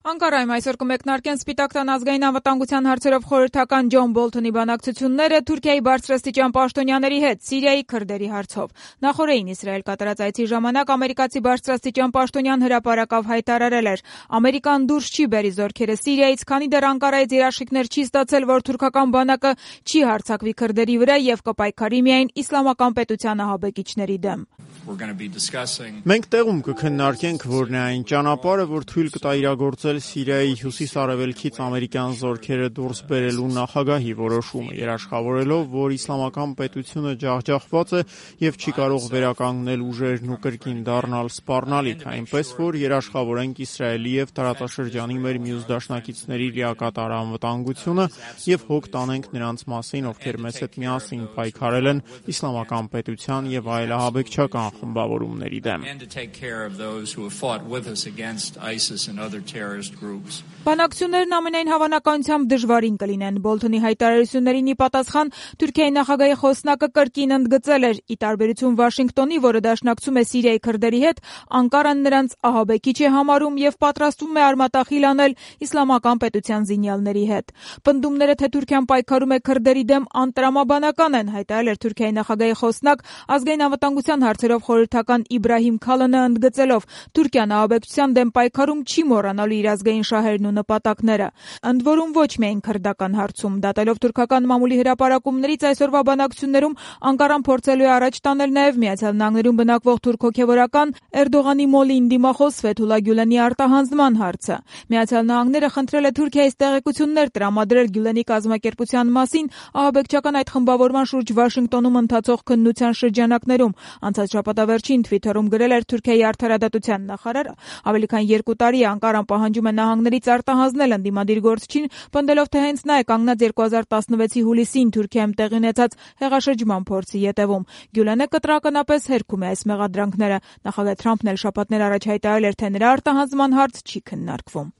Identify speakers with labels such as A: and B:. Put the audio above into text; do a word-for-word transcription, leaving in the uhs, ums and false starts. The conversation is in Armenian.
A: Անկարայում այսօր կմեկնարկեն Սպիտակ տան ազգային անվտանգության հարցերով խորհրդական Ջոն Բոլթոնի բանակցությունները Թուրքիայի բարձրաստիճան պաշտոնյաների հետ Սիրիայի քրդերի հարցով։ Նախորդին Իսրայել կատարած այցի ժամանակ ամերիկացի բարձրաստիճան պաշտոնյան հրապարակավ հայտարարել էր. Ամերիկան դուրս չի բերի զորքերը Սիրիայից, քանի դեռ Անկարայից երաշխիքներ չի ստացել, որ թուրքական բանակը չի հարձակվի քրդերի վրա եւ կպայքարի միայն իսլամական պետության ահաբեկիչների դեմ։
B: Մենք տեղում կքննարկենք, որն է այն ճանապարհը, որ թույլ կտա իրագործել Սիրիայի հյուսիս-արևելքից ամերիկյան զորքերը դուրս բերելու նախագահի որոշումը, երաշխավորելով, որ իսլամական պետությունը ջախջախված է եւ չի կարող վերականգնել ուժերն ու կրկին դառնալ սպառնալիք, այնպես որ երաշխավորենք Իսրայելի եւ տարածաշրջանի մեր մյուս դաշնակիցների լիակատար անվտանգությունը եւ հոգ տանենք նրանց մասին, ովքեր մեզ հետ միասին պայքարել են իսլամական պետության եւ այլ ահաբեկչական խմբավորումների դեմ։
A: Բանակցություններն ամենայն հավանականությամբ դժվարին կլինեն։ Բոլթոնի հայտարարություններին ի պատասխան Թուրքիայի նախագահի խոսնակը կրկին ընդգծել էր՝ ի տարբերություն Վաշինգտոնի, որը դաշնակցում է Սիրիայի քրդերի հետ, Անկարան նրանց ահաբեկիչ է համարում եւ պատրաստվում է արմատախիլ անել իսլամական պետության զինյալների հետ։ Պնդումները, թե Թուրքիան պայքարում է քրդերի դեմ, անտրամաբանական են, հայտարարել էր Թուրքիայի նախագահի խոսնակ ազգային անվտանգության հարցերով խորհրդական Իբրահիմ Քալանը, ընդգծելով՝ Թուրքիան ահաբեկչության դեմ պայքարում չի մոռանալու իր ազգային շահերն ու նպատակները։ Ընդ որում ոչ միայն քրդական հարցում։ Դատելով թուրքական մամուլի հրապարակումներից այսօրվա բանակցություններում Անկարան փորձելու է առաջ տանել նաև Միացյալ Նահանգներում բնակվող թուրք հոգևորական Էրդողանի մոլին դիմախոս Ֆեթուլա Գյուլենի արտահանձնման հարցը։ Միացյալ Նահանգները խնդրել է Թուրքիայից տեղեկություններ տրամադրել Գյուլենի կազմակերպության մասին ահաբեկչական այդ խմբավորման շուրջ Վաշինգտոնում ընթացող քննության շրջանակներում։ Անցած շաբաթավերջին Թվիթերում գրել էր Թուրքիայի արդարադատության նախարարը։ Ավելի քան երկու տարի Անկարան պահանջում է նահանգներից արտահանձնել ընդդիմադիր գործչին, պնդելով, թե հենց նա է կանգնած երկու հազար տասնվեցի հուլիսին Թուրքիայում տեղի ունեցած հեղաշրջման փորձի ետևում։ Գյուլենը կտրականապես հերքում է այս մեղադրանքները։ Նախագահ Թրամփն էլ շաբաթներ առաջ հայտարարել էր, թե նրա արտահանձնման հարց չի քննարկվում։